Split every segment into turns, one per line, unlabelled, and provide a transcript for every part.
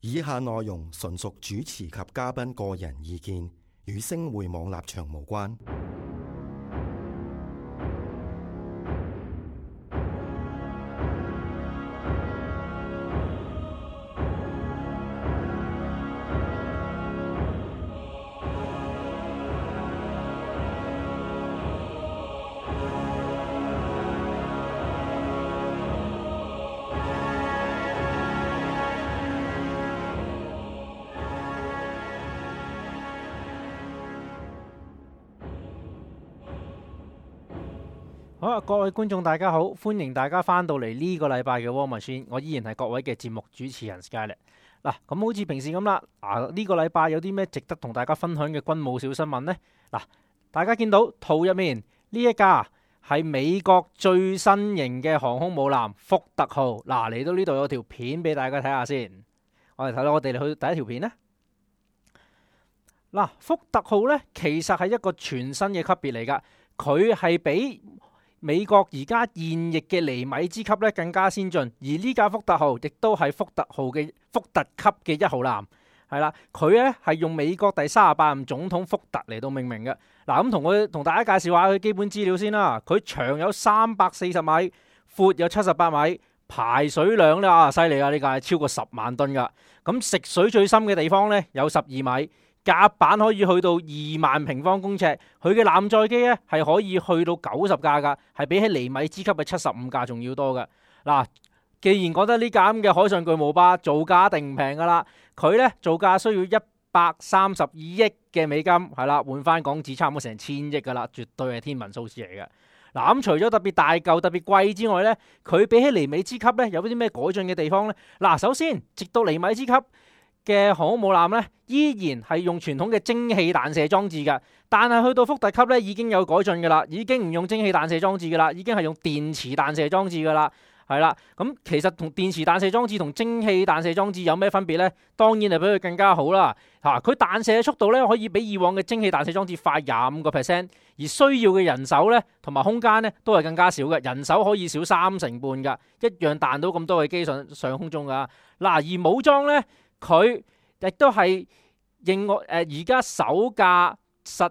以下內容純屬主持及嘉賓個人意見，與星匯網立場無關。
好啊，各位觀眾大家好，歡迎大家翻到嚟呢個禮拜嘅 War Machine，我依然係各位嘅節目主持人 Skyler。嗱，咁好似平時咁啦，呢個禮拜有啲咩值得同大家分享嘅軍務小新聞呢？嗱，大家見到圖入面呢一架係美國最新型嘅航空母艦福特號。嗱，嚟到呢度有條片俾大家睇下先，我哋去第一條片呢。嗱，福特號呢，其實係一個全新嘅級別嚟噶，佢係比美國而家現役嘅尼米茲級咧更加先進，而呢架福特號亦都係福特號嘅福特級嘅一號艦，係啦，佢咧係用美國第38任總統福特嚟到命名嘅。嗱，咁同大家介紹下佢基本資料先啦。佢長有340米，闊有78米，排水量咧犀利啊！呢架係超過10萬噸噶。咁食水最深嘅地方咧有12米。甲板可以去到2萬平方公尺，佢嘅艦載機咧係可以去到90架噶，係比起尼米茲級嘅75架仲要多嘅。嗱，既然覺得呢架咁嘅海上巨無霸造價一定唔平噶啦，佢咧造價需要132億嘅美金，係啦，換翻港紙差唔多成1000億噶啦，絕對係天文數字嚟嘅。嗱，咁除咗特別大嚿、特別貴之外咧，佢比起尼米茲級咧有啲咩改進嘅地方咧？嗱，首先直到尼米茲級嘅航空母艦咧，依然係用傳統嘅蒸汽彈射裝置嘅，但係去到福特級咧已經有改進嘅啦，已經唔用蒸汽彈射裝置嘅啦，已經係用電磁彈射裝置嘅啦，係啦。咁其實同電磁彈射裝置同蒸汽彈射裝置有咩分別呢？當然係比佢更加好啦。佢彈射嘅速度咧可以比以往嘅蒸汽彈射裝置快25%，而需要嘅人手咧同埋空間咧都係更加少嘅，人手可以少3成半噶，一樣彈到咁多嘅機上空中噶。嗱，而武裝咧，佢亦都係而家首架實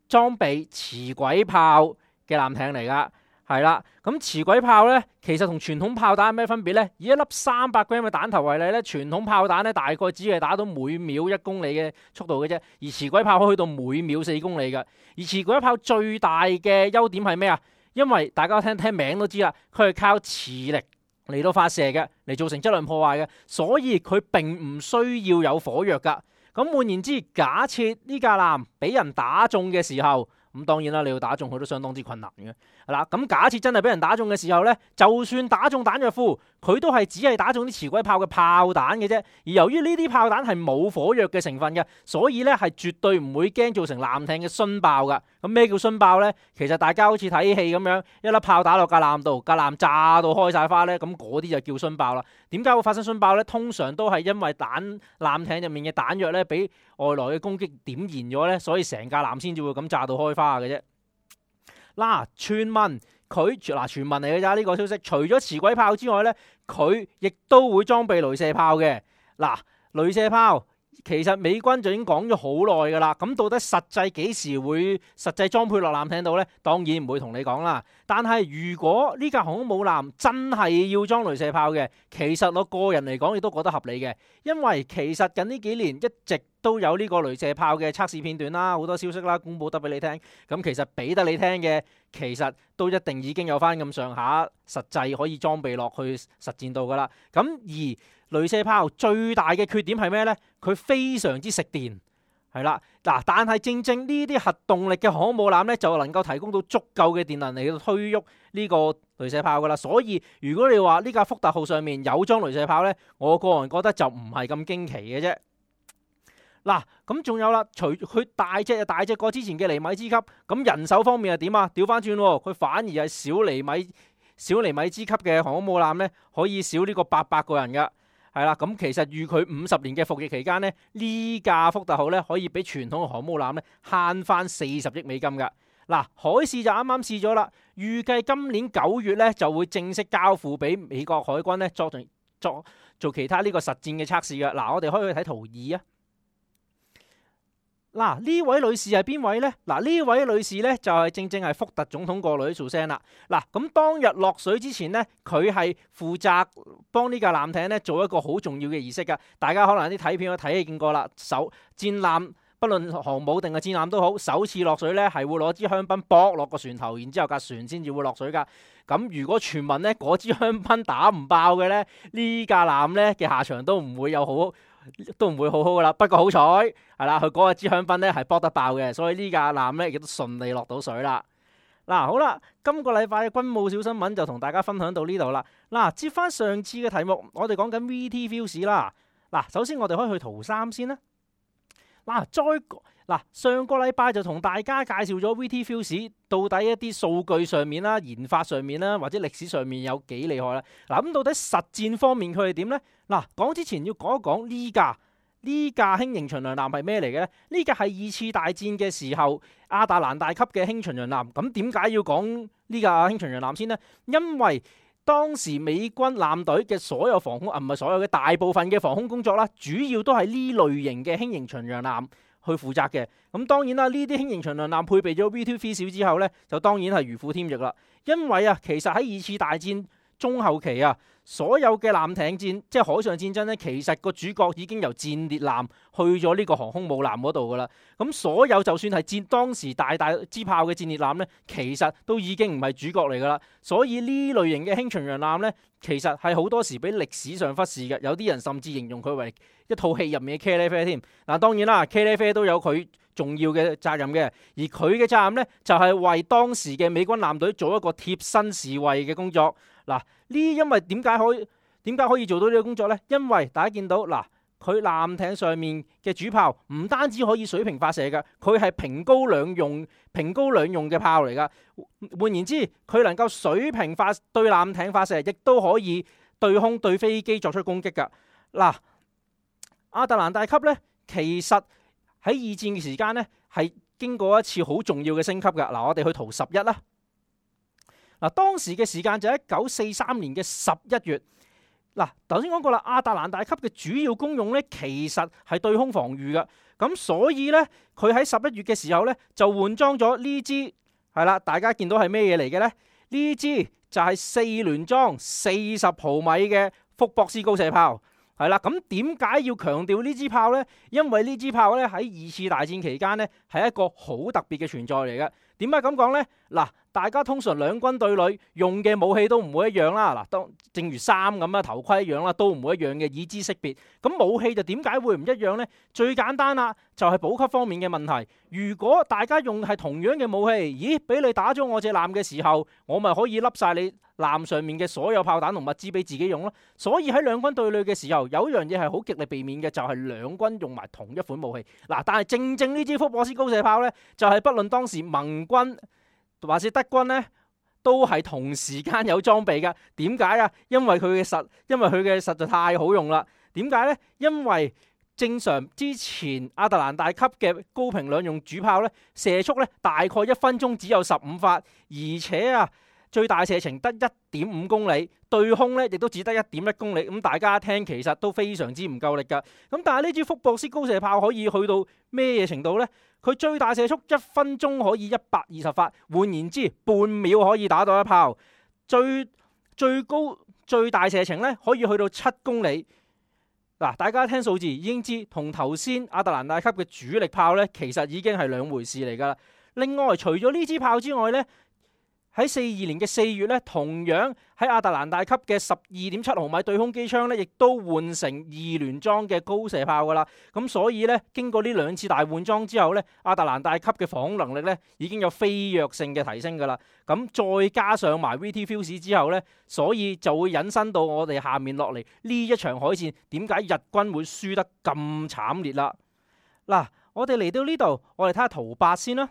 裝備磁軌炮嘅艦艇嚟噶，係啦。咁磁軌炮咧，其實同傳統炮彈有咩分別咧？以一粒300 gram 嘅彈頭為例咧，傳統炮彈咧大概只係打到每秒1公里嘅速度嘅啫，而磁軌炮可以去到每秒4公里嘅。而磁軌炮最大嘅優點係咩啊？因為大家聽名都知啦，佢係靠磁力嚟到發射嘅，嚟造成質量破壞嘅，所以佢並唔需要有火藥噶。咁換言之，假設呢架艦俾人打中嘅時候，咁當然啦，你要打中佢都相當之困難嘅，係啦。咁假設真係俾人打中嘅時候呢，就算打中彈藥庫，佢都係只係打中啲磁軌炮嘅炮彈嘅啫。而由於呢啲炮彈係冇火藥嘅成分嘅，所以呢係絕對唔會驚造成艦艇嘅殉爆噶。咁咩叫殉爆呢？其實大家好似睇戲咁樣，一粒炮打落架艦度，架艦炸到開晒花呢，咁嗰啲就叫殉爆啦。點解會發生殉爆呢？通常都係因為艦艇入面嘅彈藥呢俾外來嘅攻擊點燃咗呢，所以成架艦先至會咁炸到開花嘅啫。嗱，傳聞嚟嘅咋呢個消息？除咗磁軌炮之外呢，佢亦都會裝備雷射炮嘅。嗱，雷射炮其實美軍就已經講咗好耐噶啦，咁到底實際幾時會實際裝配落艦艇度呢？當然唔會同你講啦。但係如果呢架航空母艦真係要裝雷射炮嘅，其實我個人嚟講亦都覺得合理嘅，因為其實近呢幾年一直都有呢個雷射炮嘅測試片段啦，好多消息啦，公佈得俾你聽。咁其實俾得你聽嘅，其實都一定已經有翻咁上下實際可以裝備落去實戰度噶啦。咁而雷射炮最大嘅缺點係咩呢？佢非常之食電，係啦。嗱，但係正正呢啲核動力嘅航空母艦呢，就能夠提供到足夠嘅電能嚟到推喐呢個雷射炮噶啦。所以如果你話呢架福特號上面有裝雷射炮呢，我個人覺得就唔係咁驚奇嘅啫。嗱，咁仲有啦，除佢大隻過之前嘅尼米茲級，咁人手方面係點啊？調翻轉，佢反而係小尼米茲級嘅航空母艦呢，可以少呢個800個人噶。係啦，咁其實預佢50年嘅服役期間呢，呢架福特號呢可以比傳統嘅航母艦呢慳翻40億美金噶。嗱，海試就啱啱試咗啦，預計今年9月咧就會正式交付俾美國海軍咧做其他呢個實戰嘅測試嘅。嗱，我哋可以去睇圖2啊。嗱，呢位女士係邊位呢？嗱，呢位女士呢，就係正係福特總統個女做聲啦。嗱，咁當日落水之前呢，佢係負責幫呢架艦艇呢做一個好重要嘅儀式噶。大家可能啲睇片都睇見過啦。戰艦不論航母定係戰艦都好，首次落水呢係會攞支香檳駁落個船頭，然之後架船先至會落水噶。咁如果傳聞呢嗰支香檳打唔爆嘅呢，呢架艦呢嘅下場都唔會好好噶啦。不過好彩係啦，佢嗰支香檳咧係搏得爆嘅，所以呢架艦咧亦都順利落到水啦。嗱，好啦，今個禮拜嘅軍務小新聞就同大家分享到呢度啦。嗱，接翻上次嘅題目，我哋講緊 VT Fuse 啦。嗱，首先我哋可以去圖3先啦。上個禮拜就同大家介紹咗 VT Fuse 到底一啲數據上面啦、研發上面啦，或者歷史上面有幾厲害啦。嗱，咁到底實戰方面佢係點呢？嗱，講之前要講一講呢架輕型巡洋艦係咩嚟嘅呢？呢架係2次大戰嘅時候亞特蘭大級嘅輕巡洋艦。咁點解要講呢架輕巡洋艦先呢？因為當時美軍艦隊嘅所有防空唔係所有嘅大部分嘅防空工作啦，主要都係呢類型嘅輕型巡洋艦去負責嘅。咁當然啦，呢啲輕型巡洋艦配備咗 VT Fuse 之後呢，就當然係如虎添翼啦。因為啊，其實喺2次大戰中後期啊，所有嘅艦艇戰即係海上戰爭咧，其實個主角已經由戰列艦去咗呢個航空母艦嗰度噶啦。咁所有就算係當時大支炮嘅戰列艦咧，其實都已經唔係主角嚟噶啦。所以呢類型嘅輕巡洋艦咧，其實係好多時俾歷史上忽視嘅。有啲人甚至形容佢為一套戲入面嘅茄喱啡添。嗱，當然啦，茄喱啡都有佢重要嘅責任嘅，而佢嘅責任咧就係為當時嘅美軍艦隊做一個貼身侍衛嘅工作。嗱，因為點解可以做到呢個工作呢？因為大家見到嗱，佢艦艇上面嘅主炮唔單止可以水平發射嘅，佢係平高兩用嘅炮嚟噶。換言之，佢能夠水平對艦艇發射，亦都可以對空對飛機作出攻擊噶。嗱，亞特蘭大級呢，其實喺2戰嘅時間呢，係經過一次好重要嘅升級噶。嗱，我哋去圖11啦。嗱，當時嘅時間就喺1943年嘅11月。嗱，頭先講過啦，亞特蘭大級嘅主要功用咧，其實係對空防禦嘅。咁所以咧，佢喺11月嘅時候咧，就換裝咗呢支係啦。大家見到係咩嘢嚟嘅咧？呢支就係4聯裝40毫米嘅福博斯高射炮。係啦，咁點解要強調呢支炮呢？因為呢支炮咧喺2次大戰期間咧係一個好特別嘅存在嚟嘅。點解咁講呢？嗱，大家通常兩軍對壘用嘅武器都唔會一樣啦。嗱，正如衫咁啊，頭盔一樣啦，都唔會一樣嘅，以資識別。咁武器就點解會唔一樣呢？最簡單啦，就係補給方面嘅問題。如果大家用係同樣嘅武器，咦，俾你打咗我隻艦嘅時候，我咪可以笠晒你艦上面嘅所有炮彈同物資俾自己用咯。所以喺兩軍對壘嘅時候，有一樣嘢係好極力避免嘅，就係兩軍用埋同一款武器。嗱，但係正呢支福博斯高射炮呢，就係不論當時盟軍或是德軍呢，都係同時間有裝備嘅。點解啊？因為佢嘅實在太好用啦。點解呢？因為正常之前亞特蘭大級嘅高平兩用主炮呢，射速呢大概1分鐘只有15發，而且啊最大射程得1.5公里，對空呢亦都只得1.1公里。咁大家聽其實都非常之唔夠力噶。咁但係呢支福博斯高射炮可以去到咩嘢程度呢？佢最大射速1分鐘可以120發，換言之，半秒可以打到一炮。最高最大射程咧可以去到7公里。嗱，大家聽數字已經知，同頭先亞特蘭大級嘅主力炮咧，其實已經係兩回事嚟噶啦。另外，除咗呢支炮之外咧，喺42年嘅4月咧，同樣喺亞特蘭大級嘅12.7毫米對空機槍咧，亦都換成2聯裝嘅高射炮噶啦。咁所以咧，經過呢2次大換裝之後咧，亞特蘭大級嘅防空能力咧已經有飛躍性嘅提升噶啦。咁再加上埋 VT Fuse 之後咧，所以就會引申到我哋下面落嚟呢一場海戰，點解日軍會輸得咁慘烈啦？嗱，我哋嚟到呢度，我哋睇下圖8先啦。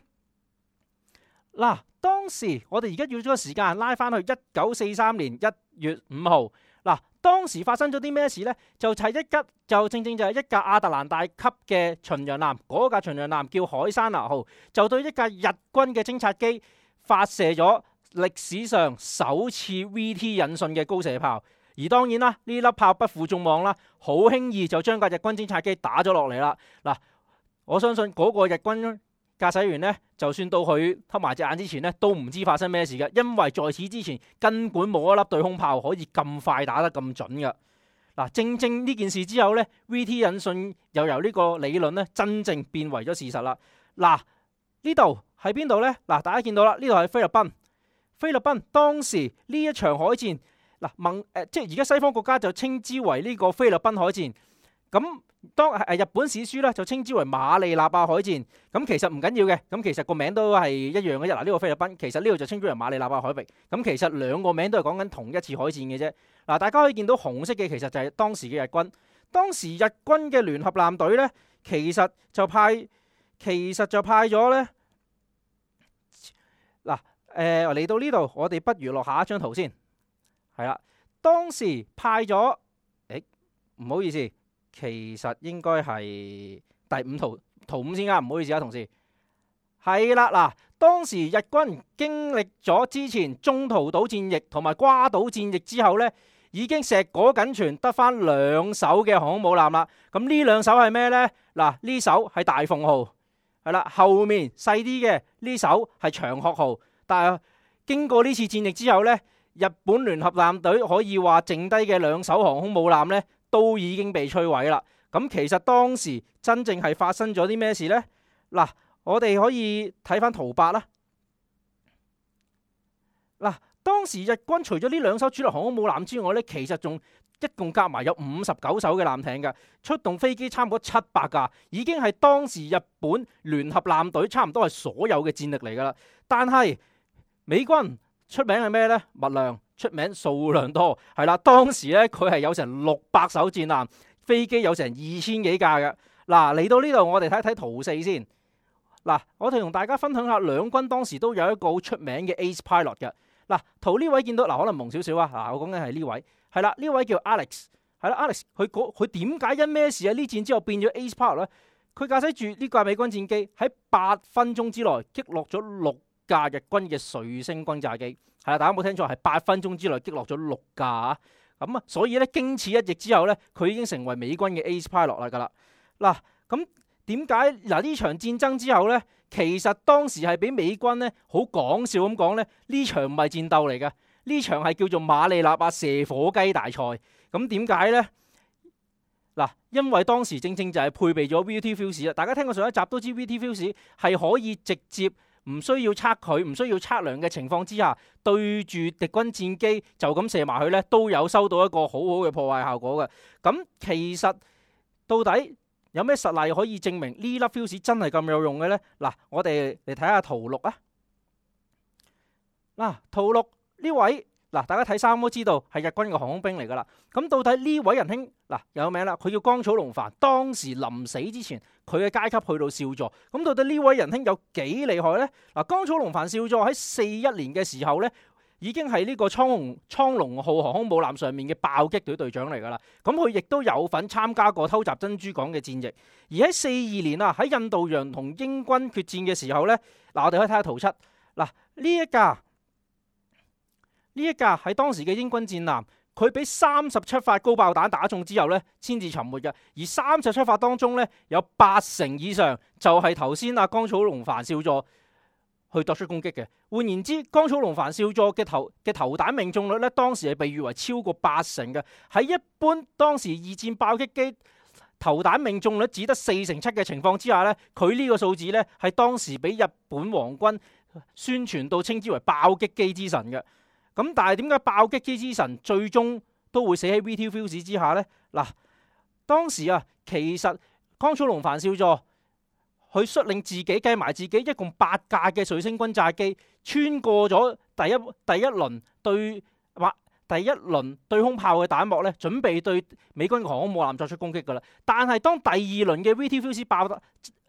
嗱，當時我哋而家要咗個時間拉翻去1943年1月5號。嗱，當時發生咗啲咩事呢？就正正就係一架亞特蘭大級嘅巡洋艦，嗰架巡洋艦叫海山拿號，就對一架日軍嘅偵察機發射咗歷史上首次 VT 引信嘅高射炮。而當然啦，呢粒炮不負眾望啦，好輕易就將架日軍偵察機打咗落嚟啦。嗱，我相信嗰個日軍駕駛員呢，就算到佢黑埋隻眼之前呢，都唔知發生咩事嘅，因為在此之前根本冇一粒對空炮可以咁快打得咁準嘅。嗱，正正呢件事之後呢， VT 引信又由呢個理論呢真正變為咗事實啦。嗱，呢度喺邊度呢？嗱，大家見到啦，呢度係菲律賓。菲律賓當時呢一場海戰，即係而家西方國家就稱之為呢個菲律賓海戰。咁當日本史書咧就稱之為馬利納亞海戰。咁其實唔緊要嘅，咁其實個名都係一樣嘅啫。嗱，呢個菲律賓，其實呢度就稱之為馬利納亞海域。咁其實兩個名都係講緊同一次海戰嘅啫。嗱，大家可以見到紅色嘅其實就係當時嘅日軍。當時日軍嘅聯合艦隊咧，其實就派咗咧。嗱，嚟到呢度，我哋不如落下一張圖先。係啦，當時派咗，唔好意思。其實應該係第五圖5先啱，唔好意思啊，同事。係啦，嗱，當時日軍經歷咗之前中途島戰役同埋瓜島戰役之後呢，已經碩果僅存，得翻2艘嘅航空母艦啦。咁呢2艘係咩呢？嗱，呢艘係大鳳號，係啦，後面細啲嘅呢艘係長鶴號。但係經過呢次戰役之後呢，日本聯合艦隊可以話剩低嘅2艘航空母艦呢，都已經被摧毀啦。咁其實當時真正係發生咗啲咩事呢？嗱，我哋可以睇翻圖8啦。嗱，當時日軍除咗呢2艘主力航空母艦之外呢，其實仲一共夾埋有59艘嘅艦艇嘅，出動飛機差唔多700架，已經係當時日本聯合艦隊差唔多係所有嘅戰力嚟噶啦。但係美軍出名係咩呢？物量。出名數量多，係啦，當時咧佢係有成600艘戰艦，飛機有成2000幾架嘅。嗱，嚟到呢度我哋睇一睇圖4先。嗱，我哋同大家分享下兩軍當時都有一個好出名嘅 Ace Pilot 嘅。嗱，圖呢位見到，嗱，可能蒙少少啊。嗱，我講緊係呢位，係啦，呢位叫 Alex， 係啦 ，Alex 佢點解因咩事喺呢戰之後變咗 Ace Pilot 咧？佢駕駛住呢架美軍戰機喺8分鐘之內擊落咗6架日軍嘅瑞星轟炸機。係啦，大家冇聽錯，係8分鐘之內擊落咗6架啊！咁啊，所以咧經此一役之後咧，佢已經成為美軍嘅 Ace Pilot 啦㗎啦。嗱，咁點解嗱呢場戰爭之後咧，其實當時係俾美軍咧好講笑咁講咧，呢場唔係戰鬥嚟嘅，呢場係叫做馬利納亞射火雞大賽。咁點解咧？嗱，因為當時正正就係配備咗 VT Fuse 啊！大家聽過上一集都知 VT Fuse 係可以直接唔需要測佢，唔需要測量嘅情況之下，對住敵軍戰機就咁射埋去呢，都有收到一個好好嘅破壞效果嘅。咁其實到底有咩實例可以證明呢粒 fuse 真係咁有用嘅呢？嗱，我哋嚟睇下圖6啊。嗱，圖6呢位。嗱，大家睇衫都知道係日軍嘅航空兵嚟噶啦。咁到底呢位仁兄嗱有名啦，佢叫江草龍帆。當時臨死之前，佢嘅階級去到少佐。咁到底呢位仁兄有幾厲害呢？嗱，江草龍帆少佐喺41年嘅時候呢，已經係呢個蒼龍號航空母艦上面嘅爆擊隊隊長嚟噶啦。咁佢亦都有份參加過偷襲珍珠港嘅戰役。而喺42年啊，喺印度洋同英軍決戰嘅時候呢，嗱，我哋可以睇下圖7。嗱，呢一架係當時嘅英軍戰艦，佢俾37發高爆彈打中之後呢，先至沉沒嘅。而37發當中呢，有80%以上就係頭先阿江草龍帆少佐去作出攻擊嘅。換言之，江草龍帆少佐嘅投彈命中率呢，當時係被譽為超過80%嘅。喺一般當時2戰爆擊機投彈命中率只得47%嘅情況之下呢，佢呢個數字呢，係當時俾日本皇軍宣傳到稱之為爆擊機之神嘅。咁但係點解爆擊機之神最終都會死喺 VT Fuse 之下呢？嗱，當時啊，其實江草龍帆少佐佢率領自己計埋自己一共8架嘅瑞星轟炸機，穿過咗第一輪對空炮嘅彈幕咧，準備對美軍嘅航空母艦作出攻擊噶啦。但係當第二輪嘅 VT Fuse 爆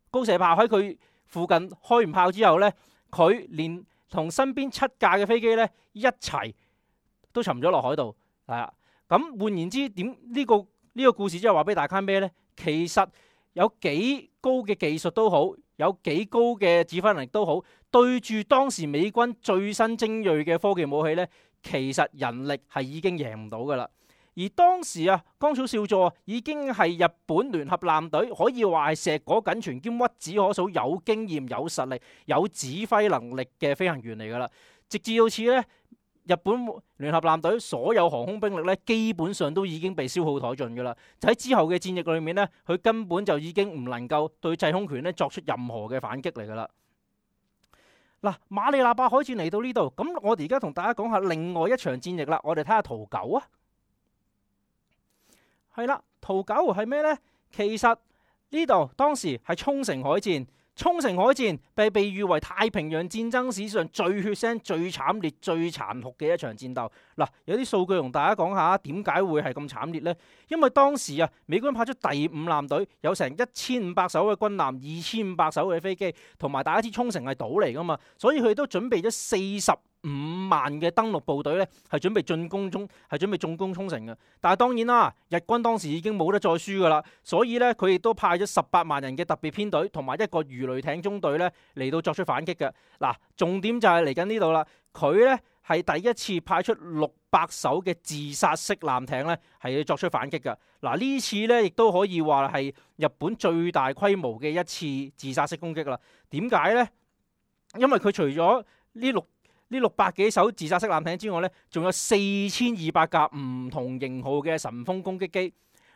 高射炮喺佢附近開完炮之後呢，佢連同身邊7架嘅飛機咧一齊都沉咗落海度，係啦。咁換言之，呢個故事即係話俾大家咩呢？其實有幾高嘅技術都好，有幾高嘅指揮能力都好，對住當時美軍最新精鋭嘅科技武器呢，其實人力係已經贏唔到噶啦。而當時啊，江草少佐已經係日本聯合艦隊可以話係碩果僅存兼屈指可數有經驗、有實力、有指揮能力嘅飛行員嚟噶啦。直至到此呢，日本聯合艦隊所有航空兵力咧，基本上都已經被消耗殆盡㗎啦。就喺之後嘅戰役裏面咧，佢根本就已經唔能夠對制空權咧作出任何嘅反擊嚟㗎啦。嗱，馬里納巴海戰嚟到呢度，咁我哋而家同大家講下另外一場戰役啦。我哋睇下圖9啊，係啦，圖9係咩呢？其實呢度當時係沖繩海戰。沖繩海戰被譽為太平洋戰爭史上最血腥、最慘烈、最殘酷嘅一場戰鬥。嗱，有啲數據同大家講下點解會係咁慘烈呢？因為當時啊，美軍派出第5艦隊，有成1500艘嘅軍艦、2500艘嘅飛機，同埋大家知沖繩係島嚟噶嘛，所以佢都準備咗45萬嘅登陸部隊咧，係準備進攻沖繩嘅。但係當然啦，日軍當時已經冇得再輸噶啦，所以咧佢亦都派咗18萬人嘅特別編隊同埋一個魚雷艇中隊咧嚟到作出反擊嘅。嗱，重點就係嚟緊呢度啦，佢咧係第一次派出600艘嘅自殺式艦艇咧係要作出反擊嘅。嗱，呢次咧亦都可以話係日本最大規模嘅一次自殺式攻擊啦。點解呢？因為佢除咗呢600幾艘自殺式艦艇之外咧，仲有4200架唔同型號嘅神風攻擊機。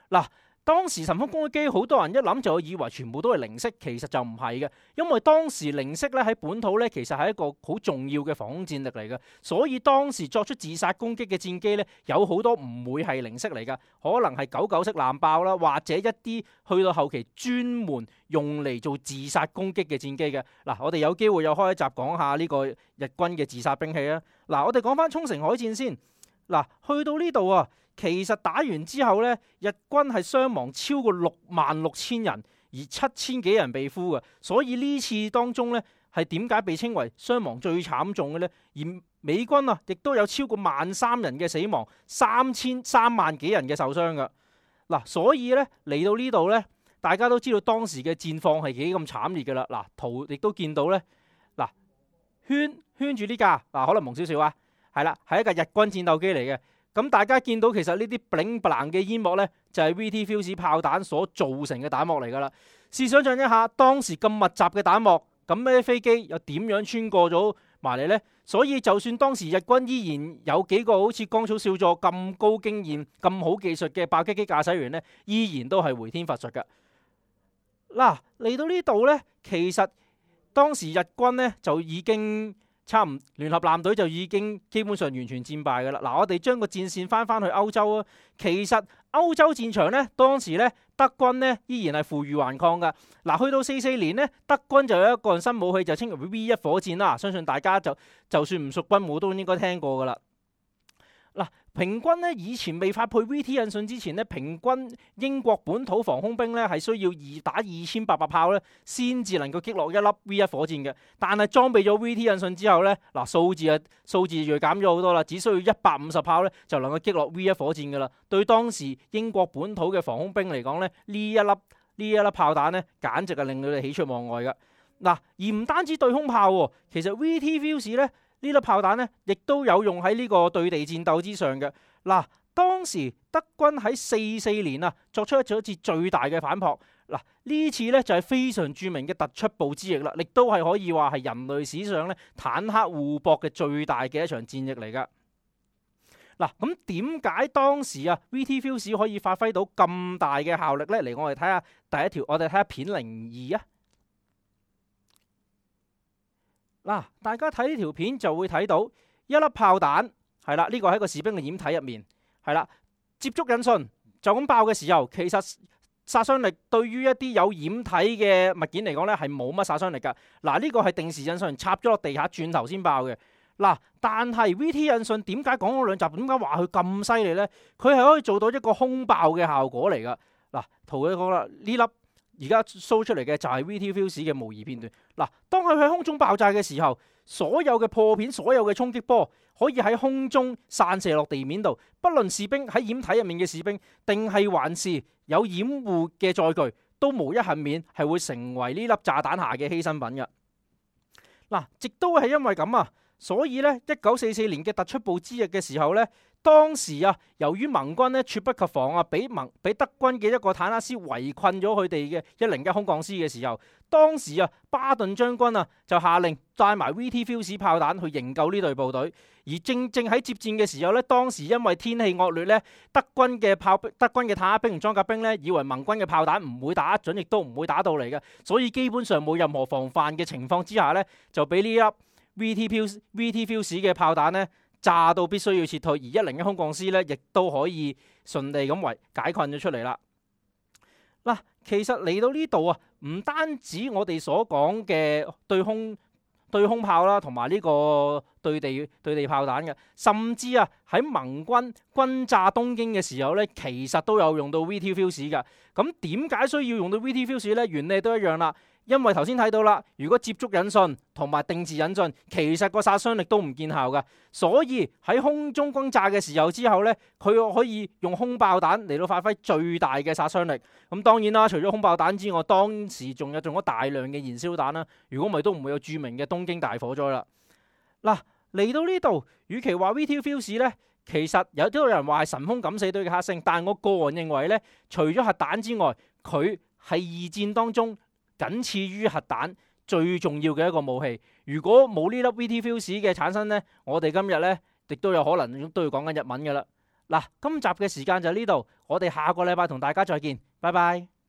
嗱，當時神風攻擊機好多人一諗就以為全部都係零式，其實就唔係嘅，因為當時零式咧喺本土咧其實係一個好重要嘅防空戰力嚟嘅，所以當時作出自殺攻擊嘅戰機咧有好多唔會係零式嚟㗎，可能係99式艦爆啦，或者一啲去到後期專門用嚟做自殺攻擊嘅戰機嘅。嗱，我哋有機會又開一集講下呢個日軍嘅自殺兵器啊。嗱，我哋講翻沖繩海戰先。嗱，去到呢度啊，其實打完之後呢，日軍係傷亡超過66000人，而7000幾人被俘嘅。所以呢次當中呢，係點解被稱為傷亡最慘重嘅呢？而美軍啊，亦都有超過13000人嘅死亡，3萬幾人嘅受傷嘅。嗱，所以呢，嚟到呢度呢，大家都知道當時嘅戰況係幾咁慘烈嘅啦。嗱，圖亦都見到呢，嗱，圈住呢架，嗱，可能蒙少少啊。係啦，係一架日軍戰鬥機嚟嘅。咁大家見到其實呢啲 bling bling 嘅煙幕呢，就係 VT Fuse 炮彈所造成嘅彈幕嚟噶啦。試想像一下，當時咁密集嘅彈幕，咁呢啲飛機又點樣穿過咗埋嚟呢？所以就算當時日軍依然有幾個好似江草少佐咁高經驗、咁好技術嘅爆擊機駕駛員呢，依然都係回天乏術噶。嗱，嚟到呢度呢，其實當時日軍呢，就已經聯合艦隊就已經基本上完全戰敗㗎啦。嗱，我哋將個戰線翻去歐洲啊。其實歐洲戰場呢，當時呢，德軍呢依然係負隅頑抗㗎。嗱，去到44年呢，德軍就有一個新武器就稱為 V1 火箭啦。相信大家就算唔熟軍武都應該聽過㗎啦。嗱，平均咧以前未發配 VT 引信之前咧，平均英國本土防空兵咧係需要打2800炮咧，先至能夠擊落一粒 V1 火箭嘅。但係裝備咗 VT 引信之後咧，嗱，數字銳減咗好多啦，只需要150炮咧就能夠擊落 V1 火箭噶啦。對當時英國本土嘅防空兵嚟講咧，呢一粒炮彈咧，簡直係令佢哋喜出望外噶。嗱，而唔單止對空炮喎，其實 VT Fuse 咧。呢粒炮彈咧，亦都有用喺呢個對地戰鬥之上嘅。嗱，當時德軍喺44年啊，作出咗一次最大嘅反撲。嗱，呢次咧就係非常著名嘅突出部之役啦，亦都係可以話係人類史上咧坦克互搏嘅最大嘅一場戰役嚟噶。嗱，咁點解當時啊 VT Fuse 可以發揮到咁大嘅效力咧？嚟，我哋睇下第一條，我哋睇下片02啊。嗱，大家睇呢條片就會睇到一粒炮彈，係啦，呢個喺個士兵嘅掩體入面，係啦，接觸引信就咁爆嘅時候，其實殺傷力對於一啲有掩體嘅物件嚟講咧係冇乜殺傷力噶。嗱，呢個係定時引信插咗落地下轉頭先爆嘅。嗱，但係 VT 引信點解講咗兩集？點解話佢咁犀利呢？佢係可以做到一個空爆嘅效果嚟噶。嗱，圖佢講啦，呢粒。而家 show 出嚟嘅就係 VT Fuse 嘅模擬片段。嗱，當佢喺空中爆炸嘅時候，所有嘅破片、所有嘅衝擊波，可以喺空中散射落地面度，不論士兵喺掩體入面嘅士兵，定係還是有掩護嘅載具，都無一幸免係會成為呢粒炸彈下嘅犧牲品嘅。嗱，亦都係因為咁啊，所以咧1944年嘅突出部之役嘅時候咧，當時啊，由於盟軍咧猝不及防啊，俾德軍嘅一個坦克師圍困咗佢哋嘅101空降師嘅時候，當時啊巴頓將軍啊就下令帶埋 VT Fuse 炮彈去營救呢隊部隊。而正喺接戰嘅時候咧，當時因為天氣惡劣咧，德軍嘅坦克兵同裝甲兵咧，以為盟軍嘅炮彈唔會打準，亦都唔會打到嚟嘅，所以基本上冇任何防範嘅情況之下咧，就俾呢粒 VT Fuse 嘅炮彈咧炸到必須要撤退，而101空降師咧亦都可以順利咁解困咗出嚟啦。嗱，其實嚟到呢度啊，唔單止我哋所講嘅對空炮啦，同埋呢個對地炮彈嘅，甚至啊喺盟軍轟炸東京嘅時候咧，其實都有用到 VT Fuse 㗎。咁點解需要用到 VT Fuse 咧？原理都一樣啦。因為頭先睇到啦，如果接觸引信同埋定時引信，其實個殺傷力都唔見效㗎，所以喺空中轟炸嘅時候之後呢，佢可以用空爆彈嚟到發揮最大嘅殺傷力。咁當然啦，除咗空爆彈之外，當時仲有咗大量嘅燃燒彈啦。如果唔係，都唔會有著名嘅東京大火災啦。嗱，嚟到呢度，與其話 VT Fuse 呢，其實有啲人話係神風敢死隊嘅克星，但我個人認為呢，除咗核彈之外，佢係二戰當中僅次於核彈最重要嘅一個武器。如果冇呢粒 VT Fuse 嘅產生呢，我哋今日呢亦都有可能都要講緊日文噶啦。嗱，今集嘅時間就呢度，我哋下個禮拜同大家再見，拜拜。